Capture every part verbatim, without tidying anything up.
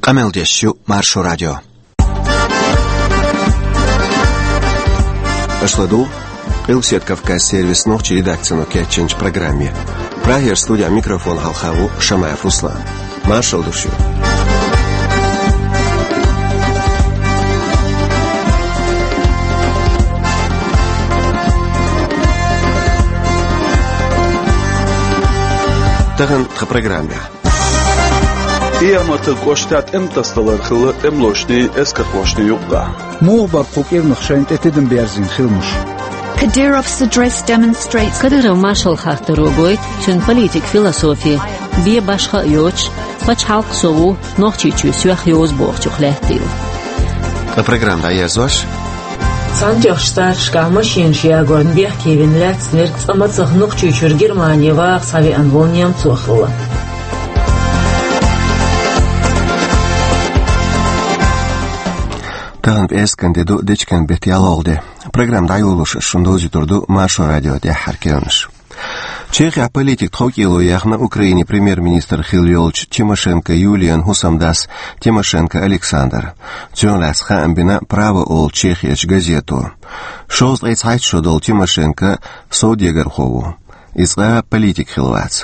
Къамел деш ю Маршо радио. Аша ладугӀу Къилбаседа Кавказ сервисан нохчийн редакцино кечйинчу программе. Прагера студехь микрофон хьалха ву Шамаев Руслан. Маршалла ду шуьга. Тахана тхан программехь. Иерматан кӀоштахь тӀеман тасадалар хилла тӀемалошний, эскархошний юкъахь. Муха бара кху кӀиранах шайна тӀе тидам берзийна хиламаш? Кадыров's address demonstrates Кадыров маршалла хаттаро гойту цуьнан политик философи, бен башха а йоцуш, пачхьалкх со ву, Нохчийчоь соьх йовза бохучух лаьттийла. Ткъа программа дӀаерзош. Цхьаьнатоьхначу старташкахь машенаш ягорна бехке вина лаьцнарг цкъа мацах Нохчийчуьра Германе ваха схьавеана волу немцо хилла. Тахана пӀераскан де ду, дечкен беттан ялхалгӀа де. Программа дӀайолош аса шуна довзуьйтур ду Маршо радион тӀаьххьара керланаш. Чехехь политик тховкӀело яьхна Украинин премьер-министр хилла йолчу Тимошенко Юлиян хӀусамдас Тимошенко Александр. Цунах лаьцна хаам бина «Право» олу Чехерчу газето. Шовзткъе цхьайтта шо долу Тимошенко совдегархо ву. Иза цкъа а политик хилла вац.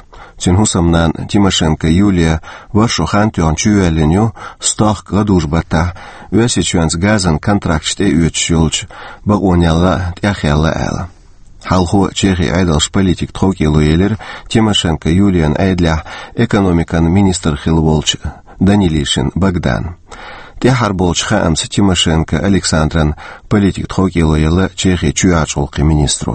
Цуьнан хӀусамнана Тимошенко Юлия ворхӀ шо хан тоьхна чувоьллина ю, стохка гӀадужу-баттахь Оьрсийчоьнца газан контракташ тӀеоьцуш йолчу бакъонел тӀехъяьлла аьлла. Хьалхо Чехин Ӏедалша политик тховкӀело елира Тимошенко Юлиян Ӏедалехь экономикан министр хилла волчу Данилишин Богдан. ТӀаьххьара болчу хаамца Тимошенко Александран политик тховкӀело елла Чехин чоьхьарчу гӀуллакхийн министро.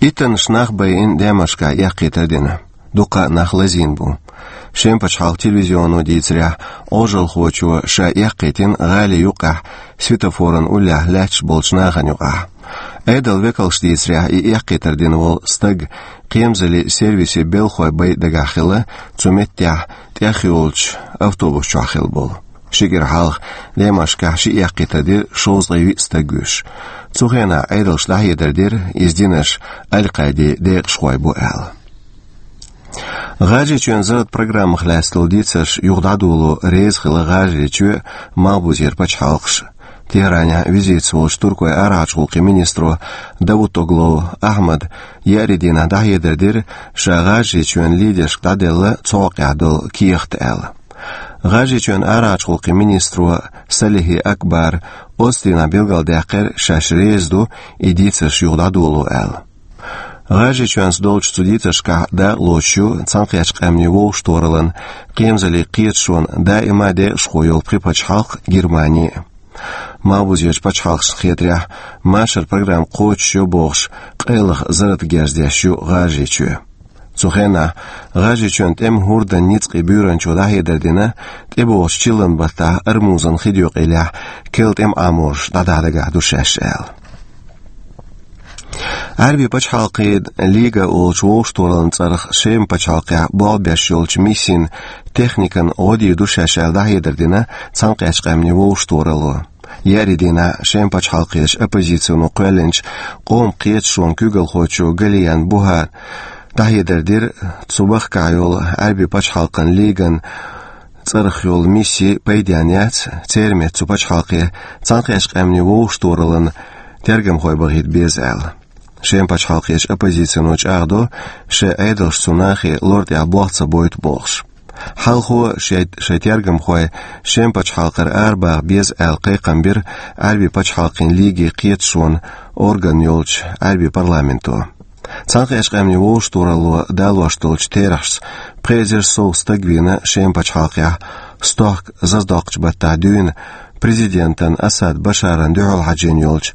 Иттаннаш нах байина Дамаскехь эккхийтар дина. Дуккха а нах лазийна бу. Шеман пачхьалкхан телевизионо дийцарехь, Ӏожалхочо ша эккхийтина гӀали юккъехь, светофоран уллехь лаьтташ болчу нахана юкъахь. Ӏедалан векалша дийцарехь, и эккхийтар дина волу стаг кхерамзаллин сервисан белхахой бен дагахь хилла, цу меттехь тӀехйолучу автобус чохь хилла болу. Ши кӀира хьалха Дамаскехь ши эккхийтар дира шовзткъе виъ стаг вуьйш. Цу хенахь Ӏедалша дӀахьедар дира, иза динарш Аль-Къаидин декъашхой бу аьлла. ГӀажарийчоьнан зарратан программах лаьцна долу дийцарш юха дӀадоло реза хилла ГӀажарийчоь а, Малхбузера пачхьалкхаш а. Тегьранехь визитаца волчу Туркойн арахьарчу гӀуллакхийн министро Давутоглу Ахьмада еарин дийнахь дӀахьедар дира, ша ГӀажарийчоьнан лидершка дӀаделла цу хьокъехь долу кехат аьлла. ГӀажарийчоьнан арахьарчу гӀуллакхийн министро Салихи Акбара оццу дийнахь билгалдаьккхира, шаьш реза ду и дийцарш юха дӀадоло аьлла. ГӀажарийчоьнца долчу цу дийцаршкахь дакъалоцуш ю Цхьаьнакхеттачу Къаьмнийн Вовшахтохараллан кхерамзаллин кхеташонан даима декъашхо йолу пхи пачхьалкх а, Германи а. Малхбузерчу пачхьалкхашна хетарехь, машаран программа кхочушйо бохуш, къайлаха зарратан герз деш ю ГӀажарийчоь. Цу хенахь ГӀажарийчоьнан тӀеман хӀордан ницкъийн буьйранчо дӀахьедар дина, тӀебогӀучу чиллан баттахь Ормузан хи декъалехь керла тӀеман Ӏаморш дӀадахьа дагахь ду шаьш аьлла. Ӏаьрбийн пачхьалкхийн Лига олучу вовшахтохараллин цӀарах Шеман пачхьалкхехь болх беш йолчу миссин техникан гӀо дийр ду шаьш аьлла дӀахьедар дина Цхьаьнакхеттачу Къаьмнийн Вовшахтохаралло. Еарин дийнахь Шеман пачхьалкхерчу оппозицино кхоьллинчу къоман кхеташонан куьйгалхочо Галиян Бухара дӀахьедар дира, цу бахкахь йолу Ӏаьрбийн пачхьалкхан Лиган цӀарах йолу мисси пайденна яц, церан метта цу пачхьалкхе Цхьаьнакхеттачу Къаьмнийн Вовшахтохараллин тергамхой бахийта беза аьлла. Шеман пачхьалкхерчу оппозицино чӀагӀдо, шайн Ӏедалша цу нахе лор тӀехь болх ца бойту бохуш. Хьалхо шайн, шайн тергамхой Шеман пачхьалкхара арабаха беза аьлла кхайкхам бира Ӏаьрбийн пачхьалкхийн Лигин кхеташонан орган йолчу Ӏаьрбийн парламенто. Цхьаьнакхеттачу Къаьмнийн Вовшахтохаралло далош долчу терахьашца пхи эзар сов стаг вийна Шеман пачхьалкхехь, стохка зазадоккхучу баттахь дуьйна президентан Асад Башаран дуьхьал хьаьжжина йолчу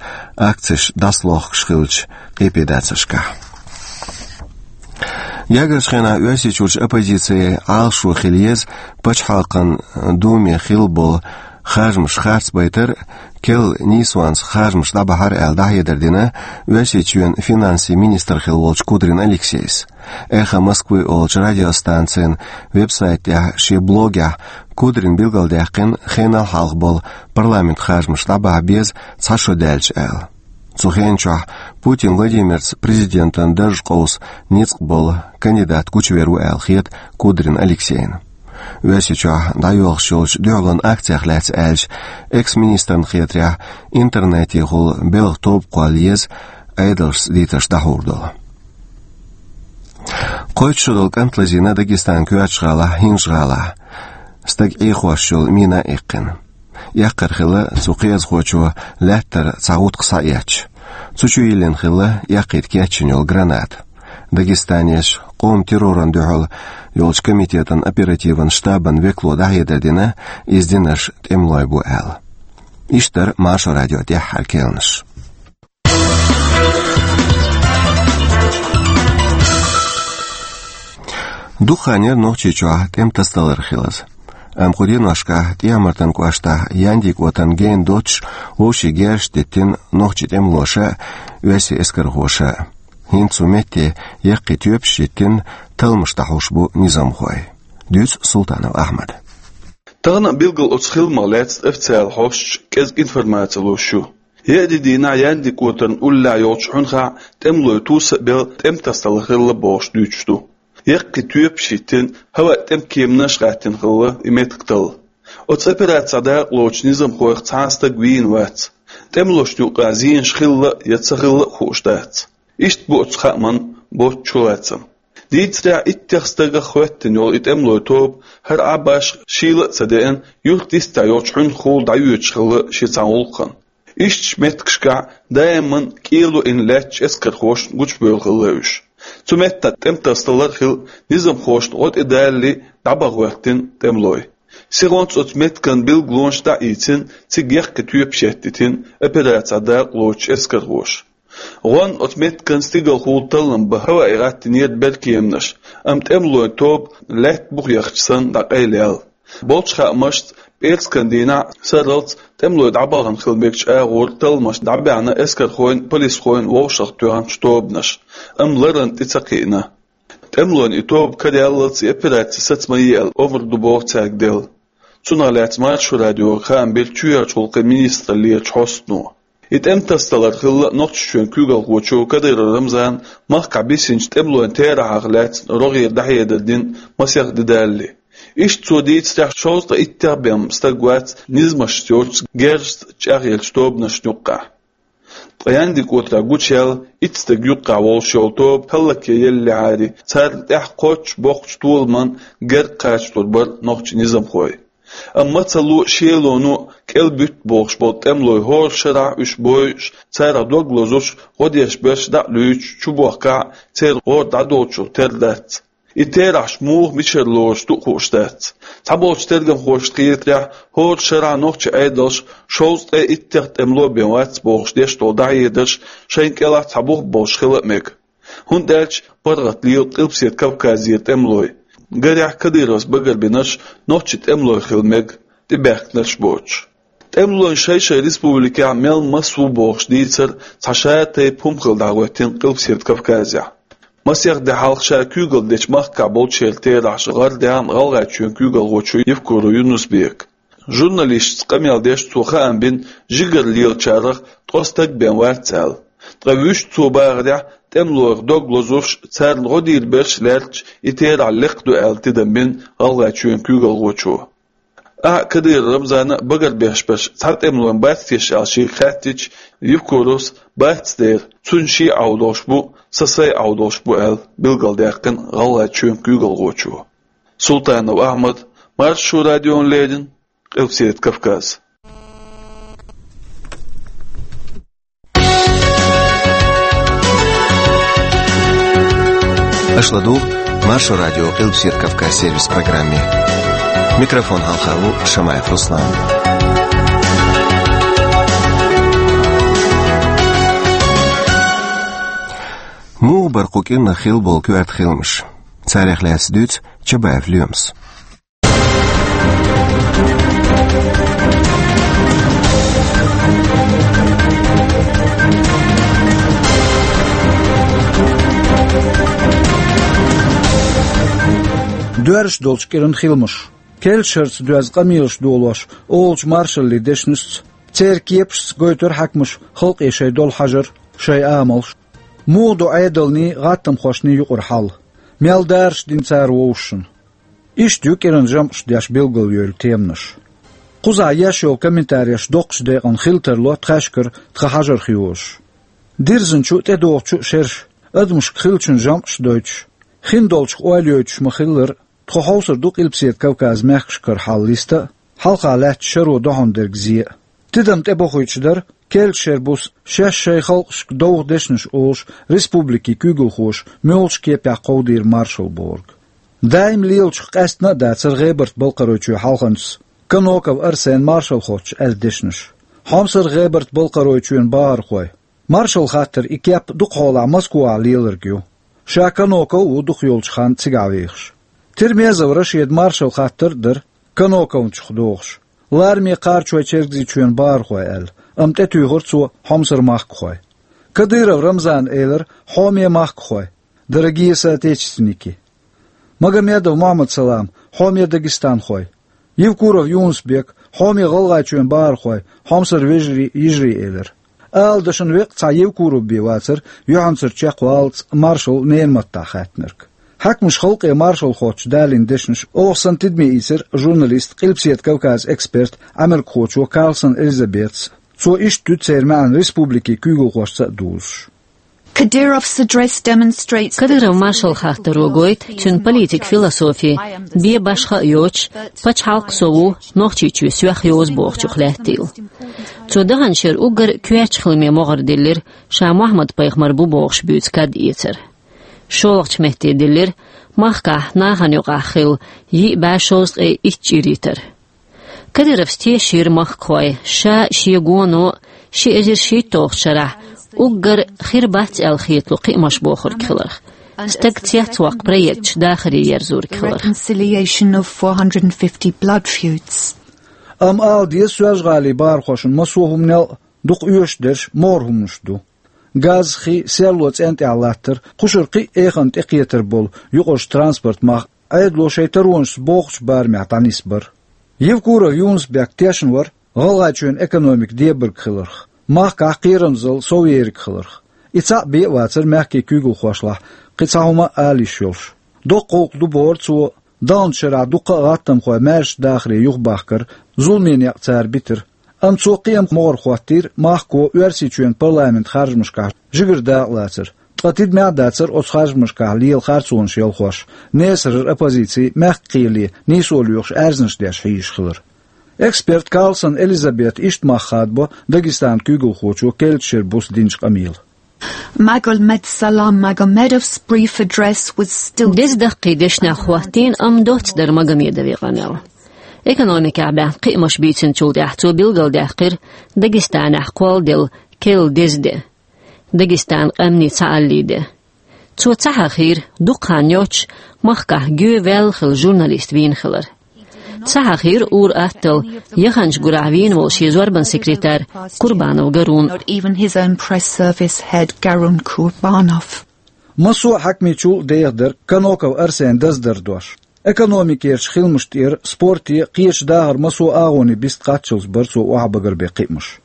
акцеш дӀасалохкуш хиллачу къепедацаршкахь. Гергарчу хенахь Оьрсийчуьрчу оппозицин Ӏалашо хила еза пачхьалкхан Думе хилла болу харжамаш харцбайтар, керла нийсонца харжамаш дӀабахьар аьлла дӀахьедар дина Оьрсийчоьнан финансийн министр хилла волчу Кудрин Алексейс. «Эхо Москвы» олучу радиостанцин веб-сайт тӀехь шен блогехь Кудрина билгалдаьккхина, хенал хьалха болу парламентан харжамаш дӀабахьа беза цхьа шо даьлча аьлла. Цу хенан чохь Путин Владимирца президентан дарж къовса ницкъ болу кандидат гучувер ву аьлла хета Кудрин Алексейна. Оьрсийчохь дӀайоьлхуш йолчу дуьхьалонан акцех лаьцна аьлча, экс-министрна хетарехь, интернетехула белхан тоба кхолла еза Ӏедалшца дийцарш дӀахьур долу. Кхойтта шо долу кӀант лазийна Дагестанан коьртачу гӀалахь, ХӀинжа-ГӀалахь. Стаг Ӏехош йолу мина а иккхина. Эккхар хилла цу кхиазхочо лаьттара цхьа гӀутакх схьаэцча. Цу чу йиллина хилла эккхийта кечйина йолу граната. Дагестанерчу къоман террорна дуьхьал йолчу комитетан оперативан штабан векало дӀахьедар дина, иза динарш тӀемалойн бу аьлла. Иштта дара Маршо радион тӀаьххьара керланаш. Дукха хан яра Нохчийчохь тӀеман тасадалар хилаза. Амма кху деношкахь ТӀехьа-Мартан кӀоштахь Яндикотан гена доццуш вовшийн герзаш диттина нохчийн тӀемалоша а, оьрсийн эскархоша а. ХӀинца цу метте яккхий тоьпаш а йиттина, талламаш дӀахьош бу низамхой. Дуьйцу Султанов Ахьмада. Тахана а билггал оцу хиламах лаьцна официалан хьосташа кӀезиг информаци луш ю. Еарин дийнахь Яндикотарна уллехь йолчу хьуьнхахь тӀемалойн туса а белла тӀеман тасадалар хилла бохуш дуьйцуш ду. Яккхий тоьпаш а йиттина, хӀаваъ тӀеман кеманаш а гӀаттийна хилла и меттиг талла. Оцу операцехь дакъалоцучу низамхойх цхьа а стаг вийна вац. ТӀемалошна юкъахь зенаш хилла а, я ца хилла а хууш дац. Иштта бу оцу хааман боцчу чулацам. Дийцарехь, иттех стагах хӀоьттина йолу и тӀемалойн тоба хӀара Ӏа башха шийла а ца деана, юьртан йистехь йолчу хьуьнхахула дӀайоьдуш хилла шен цхьана гӀуллакхана. Ишттачу меттигашкахь даиман кӀело йина лаьттачу эскархошна гучубевлла хилла уьш. Цу меттехь тӀеман тасадалар а хилла, низамхошна гӀо тӀедалале дӀабаха хӀоьттина тӀемалой. Сихонца оцу меттиган билгалонаш дӀа а ийцина, цига яккхий тоьпаш а йиттина операцехь дакъалоцучу эскархоша. ГӀонна оцу меттиган стигалхула таллам бан хӀаваъ гӀаттийнера беркеманаш, амма тӀемалойн тоба лаьтта буха яхча санна дӀакъайлаяьлла. Болчу хаамашца, пӀераскан дийнахь сарралц тӀемалой дӀабахана хила мегачу агӀор талламаш дӀабаьхьна эскархойн а, полисхойн а вовшахтоьхначу тобанаша, амма ларан тӀе ца кхиъна. ТӀемалойн и тоба караяллалц и операци саца ма е аьлла омра ду боху цаьрга делла. Цунах лаьцна Маршо радиога хаам бира чоьхьарчу гӀуллакхийн министраллерачу хьостано. И тӀеман тасадалар хилла Нохчийчоьнан куьйгалхочо Кадыров Рамзана махкахь бисинчу тӀемалойн терахьех лаьцна рогӀера дӀахьедар дина масех де далале. Иштта цо дийцарехь, шовзткъе иттех бен стаг вац низамашца йоцучу герзашца чӀагӀъеллачу тобанашна юккъехь. Ткъа Яндикотехь гучуяьлла итт стаг юккъехь волуш йолу тоба хӀаллакъеллехьара, царна тӀехь кхоччуш боккхачу толаман герга кхачалур бара нохчийн низамхой. Амма мацалло а, шелоно а кӀел буьту бохуш болу тӀемалой хӀора шарахь уьш бойуш, царах дог лозуш, гӀо деш берш дӀа а луьйчуш чубохкахь а, церан гӀора дӀадолчух тера дац. И терахьаш муха, мичара лоруш ду а хууш дац. Цхьаболчу тергамхошна хетарехь, хӀора шарахь нохчийн Ӏедалша шовзткъе иттех тӀемало бен вац бохуш деш долу дӀахьедарш шайна кӀелахь цхьа бух болуш хила а мега. ХӀунда аьлча паргӀат лела Къилбаседа Кавказера тӀемалой. Гарехь, Кадыровс багарбинарш нохчийн тӀемалой хила мега, тӀебаьхкинарш боцуш. ТӀемалойн шай-шайн республикехь мел маса ву бохуш дийцар цхьа ша-тайпа хӀума хилла дӀахӀоьттина Къилбаседа Кавказехь. Масех де хьалха ша куьйгалла дечу махкахь болчеран терахьаш гӀардаьхна ГӀалгӀайчоьнан куьйгалхочо Евкуров Юнус-Бека. Журналисташца къамел деш цо хаам бина, жигара лелачарах ткъа стаг бен вац аьлла. Ткъа вуьшта цо бахарехь, тӀемалойх дог лозуш, царна гӀо дийр берш лаьрташ и терахь лекха ду аьлла тидам бина ГӀалгӀайчоьнан куьйгалхочо. Ахьа Кадыров Рамзана а, багарбеш берш цхьа тӀемалойн бац теша аьлла шега хаьттича, Евкуровс бац дера, цуьнан шен Ӏов долуш бу, сан сайн Ӏов долуш бу аьлла, билгалдаьккхина ГӀалгӀайчоьнан куьйгалхочо. Султанов Ахьмад, Маршо радиона леррина, Къилбаседа Кавказ. Аша ладугӀу Маршо радион Къилбаседа Кавказ сервисан программе. Микрофон хьалха ву Шамаев Руслан. Муха бара кху кӀирнах хилла болу коьрта хиламаш? Царех лаьцна дуьйцу Чабаев Лоьмас. Доьрзуш долчу кӀиран хиламаш. Керла шарца доьзна къамелаш долош олучу маршаллин дешнашца, церан кепашца гойтура хьаькамаша халкъе шайн долу хьажар, шайн амалш. Муха ду Ӏедалний, гӀаттамхошний юкъара хьал? Мел дараш дина цара вовшашна? Иштта ю кӀиранан жамӀаш деш билгалйойла теманаш. Кхузахь еш йолу комментареш доккхачу декъана хила тарло тхаьшкара тхан хьажарх йозуш. Дирзинчу а, тӀедогӀучу а шераш, адамашка хиллачун жамӀаш дойтуш, хиндолчух ойла йойтуш ма-хиллара, тхо хьовсур ду Къилбаседа Кавказан мехкашкара хьал листа а, хьалха лаьттачу шаро дохьун дерг зе а. Тидам тӀебохуьйтуш дара, керла шеран буса шаьш шайн халкъашка довха дешнаш олуш, республикийн куьйгалхоша муьлхачу кепехь кховдийра маршалла бохург. Даим лелачух къаьстина а дацара ГӀебарта-Балкхаройчоь хьалханчас Каноков Арсенан маршалла хоттуш аьлла дешнаш. Хьомсара ГӀебарта-Балкхаройчоьнан бахархой, маршалла хаттаран и кеп дукха хьолахь Москвахь леларг ю. Ша Каноков а ву дукха йолчу ханна цигахь вехаш. Тирмезов Рашидан маршалла хаттар а дара, Каноковнчух догӀуш, лараме Кхарачой-Чергазийчоьнан бахархой аьлла, амма тӀетуьйхира цо хьомсара махкахой. Кадыров Рамзана элира хьоме махкахой, дорогие соотечественники. Магомедов Мухьаммад-Салам хьоме дагестанхой. Евкуров Юнус-Бек хьоме ГӀалгӀайчоьнан бахархой, хьомсара вежарий, йижарий элира. Ала дашна веккъа цхьа Евкуров бен вацара юьхьанцара чекхваллалц маршалла ненан маттахь хаьттинарг. Хьаькамаша халкъе маршалла хоттуш далийна дешнаш оха санна тидаме ийцира журналист, Къилбаседа Кавказан эксперт, Ӏамеркахочо Карлсон Элизабетас. Цо иштта дуьту церан маьӀна республикийн куьйгалхошца а дузуш. Kadyrov's address demonstrates Кадыров маршалла хаттаро гойту цуьнан политикан философи, бен башха а йоцуш, пачхьалкх со ву, Нохчийчоь соьх йозу бохучух лаьттийла. Цо даханчу шеран уггар коьртачу хиламе могӀар диллира, ша Мухьаммад-пайхамар бу бохуш буьйцу кад эцар. ШолгӀачу метте диллира махкахь нахана юкъахь хилла йиъ бӀе шовзткъе итт чӀир йитар. Кадыровс тешийра махкахой, ша а, шен гоно а ши эзар шийтталгӀачу шарахь уггар хир бац аьлла хетало кхиамаш бохург хиларх, стаг цецваккха проекташ дахаре ерзорг хиларх. Reconciliation of four hundred and fifty blood feuds. Амма ала деза, Соьлжа-ГӀалин бахархошна массо а хӀуманел а дукха оьшуш дерш могӀара хӀуманаш ду. Газ, хи, серло цӀен тӀехь латтар, кхушара кхин а эханна тӀекхетар болу юкъарчу транспорт мах Ӏедало шайн таронашца бохучу барамехь дӀанисбар. Евкуров Юнус-Бек тешна вара ГӀалгӀайчоьнан экономика дебарг хиларх, махкахь кхерамзалла сов ериг хиларх. И цхьаъ бен а вацара мехкийн куьйгалхошлахь кхин цхьа хӀума а ала йиш йолуш. Доккха гӀуллакх ду бохура цо, даханчу шарахь дуккха а гӀаттамхой маьрша дахаре юхабахкар, зуламе некъ цара битар. Амма цо кхин а могӀар хӀоттийра махко Оьрсийчоьнан парламентан харжамашкахь жигара дакъалацар, ткъа тидамехь а дацара оцу харжамашкахь лела харцонаш ялхош, несарара оппозици, мехкан кхеле нийсо лоьхуш, аьрзнаш деш хьийзаш хилар. Эксперт Карлсон Элизабета иштта мах хадабо Дагестанан куьйгалхочо керлачу шеран буса динчу къамелан. Magomed Salam Magomedov's brief address was still Деза даккхий дешнех хӀоттийна, амма доцца дара Магомедовн къамел. Экономикехь баьхна кхиамаш бийцинчул тӀаьхьа цо билгалдаьккхира Дагестанехь кхолладелла керла деза де, Дагестанан къаьмнийн цхьааллин де. Цо ца хьахийра, дукха хан йоццуш махкахь гоьваьлла хилла журналист вийна хилар. Ца хьахийра ур-атталла яханчу гурахь вийна волу шен зорбанан секретарь Курбанов Гарун. Not even his own press service head Garun Kurbanov. Массо а хьаькамийн чул а деха дара Каноков Арсенан даздар дош. Экономикерчу хиламашна тӀера спорте, кхечу дахаран массо а агӀонийн бист кхаччалц бара цо охьабагар бен кхиамаш.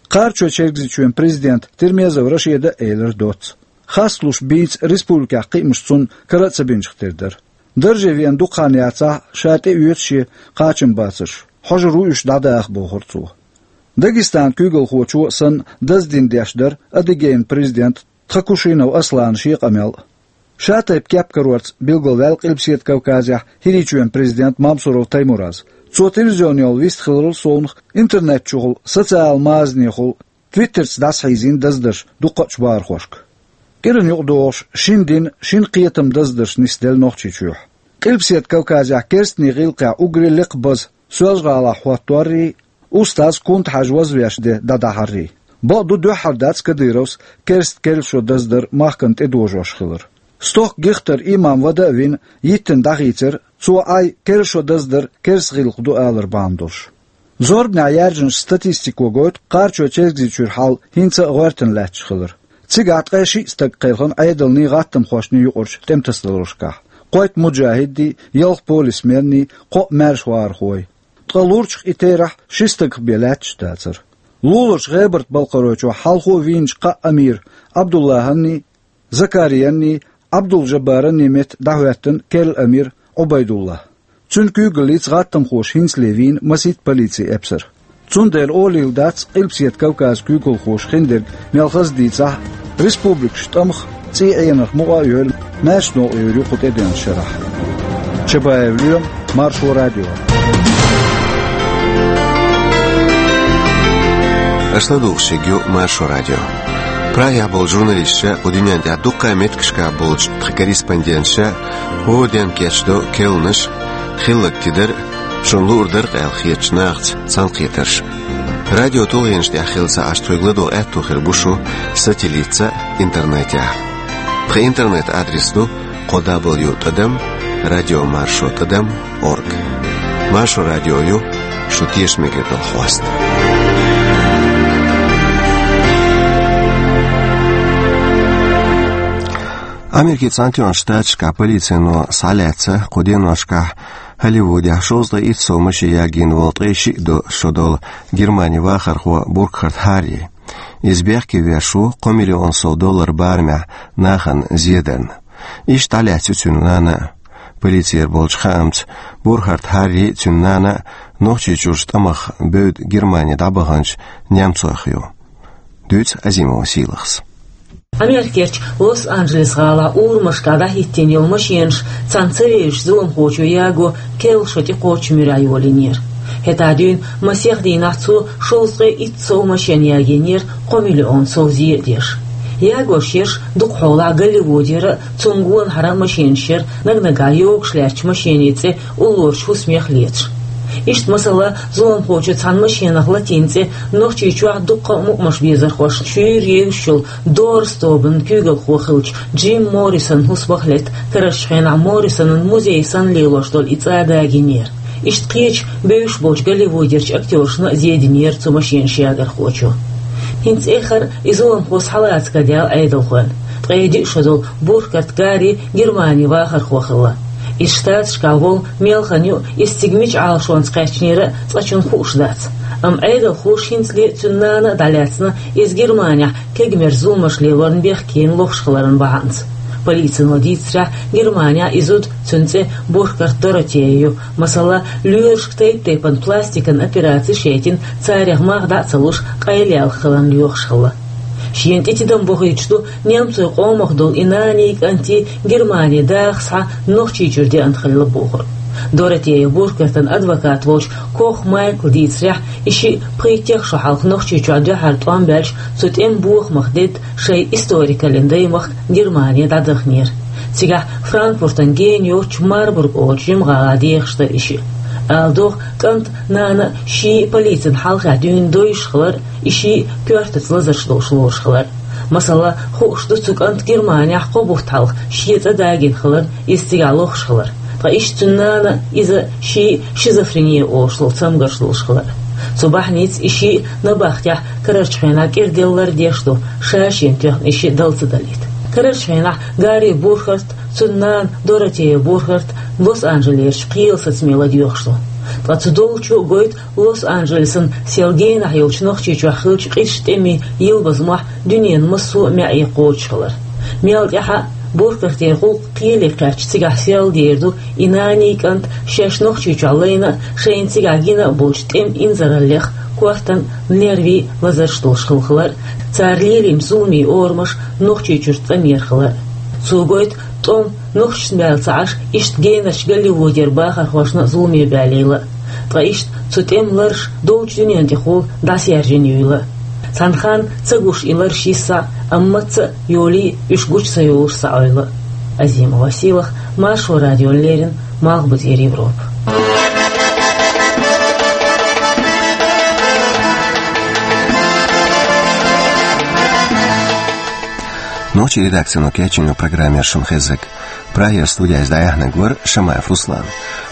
Кхарачой-Чергазийчоьнан президента Тирмезов Рашида а элира доцца. Хасталуш бийца республикехь кхиамаш цунна кара а ца бинчух тера дара. Дарже веана дукха хан яцахь а, ша тӀеоьцу шен кхачамбацарш, хьожур ву уьш дӀадаха, бохура цо. Дагестанан куьйгалхочо а санна, даздина деш дара Адыгейн президента Тхакушинов Асланан шен къамел а. Ша тайпа кеп карорца билгалваьлла Къилбаседа Кавказехь ХӀирийчоьнан президент Мамсуров Таймураз. Цо телевизионехула вистхиларал совнаха интернет чухула, социал мазанехула, Твиттерца дӀасахьийзийна даздарш дуккхачу бахархошка. КӀиран юкъадогӀуш шина дина, шина кхетаман даздарш нисделла Нохчийчохь. Къилбаседа Кавказехь керстанийн гӀиллакхехь уггаре лекха база Соьлжа-ГӀалахь хӀотторрий, устаз Кунта-Хьаьжа вазвеш де дӀадахьаррий. Бакъду, дуьххьара дац Кадыровс керста керла шо даздар махкана тӀедожош хилар. Стохка гихтара имам вада а вина, йиттина дӀахийцира, цо Ӏай керла шо даздар керста гӀиллакх ду алар бахьана долуш. Зорбанехь яьржинчу статистико гойту Кхарачой-Чергазийчуьра хьал хӀинца а гӀоьртина лаьтташ хилар. Цигахь ткъе шиъ стаг кхелхина Ӏедалний, гӀаттамхошний юкъарчу тӀематасадаларшкахь: кхойтта муджахӀиддий, ялх полисменний, кхоъ маьрша вахархой. Ткъа лурчух и терахь ши стагах бен лаьтташ дацара. Луларчу ГӀебарта-Балкхаройчохь хьалхо вийначу кхаа амира Ӏабдуллахьанний, Закариянний, Ӏабдул-Жаббаранний метта дӀахӀоьттина керла амир Ӏубайдуллахь. Цуьнан куьйгаллица гӀаттамхоша хӀинцале вийна масийтта полицин эпсар. Цундела олийла дац Къилбаседа Кавказан куьйгалхоша хиндерг мел хаза дийцахь а, республикаш тӀамах цӀий Ӏенарх мукъа а йолу маьрша новкъа йийр ю кху тӀедеанчу шарахь. Чабаев Лоьма, Маршо радио. Аша ладугӀуш ерг ю Маршо радио. Прагехь болчу журналисташа, кху дуьнен тӀехь дуккха а меттигашкахь болчу тхан корреспонденташа хӀора денна кечдо керланаш, хилларг тидар а, шуна луур дара-кх аьлла хетачу нахаца цхьаьнакхетарш а. Радио тулгӀенаш тӀехь хилла ца Ӏаш, тхоьга ладогӀа аьтто хир бу шу сателлитца а, интернетехь а. Тхан интернет-адрес ду кхо дабл ю тӀадам радио маршо тӀадам орг. Маршо радио ю шун тешаме хир долу хьоста. Америкин Цхьаьнатоьхначу Штаташкахь полицино схьалаьцна кху деношкахь Холливудехь шовзткъе итт сов машен ягийна волу ткъе шиъ шо долу Германин вахархо Буркхарт Харри. Иза бехке веш ву кхо миллион сов доллар барамехь нахана зедарна. Иштта дӀалаьцна ю цуьнан нана а. Полицера болчу хаамца, Бурхарт Харри а, цуьнан нана а Нохчийчуьрчу тӀамах бевдда Германи дӀабаханчу немцойх ю. Дуьйцу Азимова Сийлахьас. Америкерчу Лос-Анджелес-гӀалахь урамашкахь дӀахӀиттийна йолу машенаш цхьана ца вевзачу зуламхочо яго керла шо тӀекхочу муьрехь йолийнера. ХӀетахь дуьйна масех дийнахь цо шовзткъе итт сов машен ягийнера кхо миллион сов зен а деш. Ягош ерш дукха хьолахь Голливудера а, цунна гонахьара а машенаш яра, наг-нагахь йогуш лаьттачу машенийн цӀе уллорачу хӀусамех лецаш. Иштта, масала, зуламхочо цхьана машенах латийна цӀе Нохчийчохь дуккха а мукъамаш безархошна шуьйра евзаш йолу Дорс тобанан куьйгалхо хиллачу Джим Моррисонан хӀусамах летта, карарчу хенахь Моррисонан музей санна лелош долу и цӀа а дагийнера. Иштта кхечу бевзаш болчу Голливудерчу актёршна а зединера цу машенаш ягархочо. ХӀинца эххар а и зуламхо схьалаца карадаьлла Ӏедалхойн. Ткъе диъ шо долу Бурхарт Харри Германин вахархо хилла. Иза Штаташкахь волу мел хан ю, иза цига мича Ӏалашонца кхаьчнера а цкъачунна хууш дац. Амма Ӏедалхоша хӀинцале а, цуьнан нана а дӀалаьцна иза Германехь кегамерчу зуламаш лелорна бехкенна лохуш хиларан бахьанца. Полицино дийцарехь, Германехь и зуда, цуьнан цӀе Бурхарт Доротея ю, масала, лоьрашка тайп-тайпана пластикан операцеш а яйтина, царех мах дӀа а ца луш, къайлаялх хиларна лоьхуш хилла. Шена тӀе тидам бохуьйтуш ду немцойн къомах долу и наний, кӀантий Германи даха схьа Нохчийчуьра деана хилла бохург. Доротея Бурхартан адвокат волчу Кох Майкла дийцарехь, и шиъ пхийттех шо хьалха Нохчийчохь дуьххьара тӀом баьлча, цу тӀеман бохамах дедда шайн историкаллин даймахка Германи дӀадахнера. Цигахь Франкфуртан гена йоцчу Марбург олучу жимгӀалахь дехаш дара и шиъ. Ала догӀу, кӀант а, нана а шиъ а полицин хьалхехь дуьйна довзуш хилар а, и шиъ а коьртаца лазарш долуш лоруш хилар а. Масала, хууш ду цу кӀанта Германехь кхо бутт хьалха шен цӀа дагийна хилар а, иза цигахь лохуш хилар а. Ткъа иштта цуьнан нана а, иза а шиъ а шизофрени олуш долу цамгарш долуш хилар а. Цу бахьаница и шиъ а набахтехь карарчу хенахь кӀира деллар а деш ду, ша-шена тоьхна и шиъ дала ца далийта. Карарчу хенахь Гарри Бурхарт, цуьнан нана Доротея Бурхарт Лос-Анджелесчу кхелан сацаме ладоьгӀуш ду. Ткъа цу долчо а гойту Лос-Анджелесан сел генахь йолчу Нохчийчохь хиллачу къизачу тӀемийн йилбазамохь дуьненан массо а маьӀӀе кхочуш хилар. Мел тӀаьхьа а Бурхартера гӀуллакх кхеле кхаьчча, цигахь сел дер ду и наний, кӀант шаьш Нохчийчохь лайна а, шайна цигахь гина а болчу тӀеман инзараллех, кортан, нервийн лазарш долуш хилла хилар а, цара лелийначу зуламийн орамаш Нохчийчуьра цӀанъяр хилар а. Цо гойту тӀом нохчашна баьлла ца Ӏаш, иштта генарчу Голливудера бахархошна а зуламе баьллийла а. Ткъа иштта цу тӀеман ларш долчу дуьнен тӀехула дӀасаьржина юйла а. Цхьана ханна ца гуш и ларш йиса а, амма маца а йолий а уьш гучу ца йолуш схьаойла а. Азимова Сийлахь, Маршо радиона леррина, Малхбузера Европа. Нохчийн редакцино кечйина программа яра шуна хезнарг. Прагера студехь иза дӀаяьхьнарг вара Шамаев Руслан.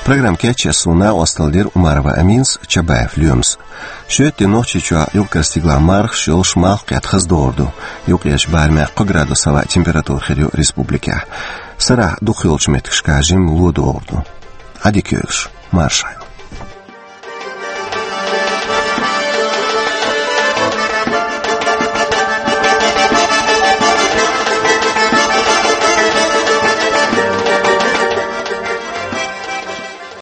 Программа кечъеш суна накъосталла дира Умарова Аминас, Чабаев Лоьмас. Шоьтан де Нохчийчохь юкъара стигалахь мархаш йолуш, малх кхетта хаза догӀур ду. Юккъерчу барамехь кхо градус хӀаваъ температура хир ю республикехь. Сарахь дукхахйолчу меттигашкахь жимма ло догӀур ду. Ӏадика йойла шун, марша Ӏойла.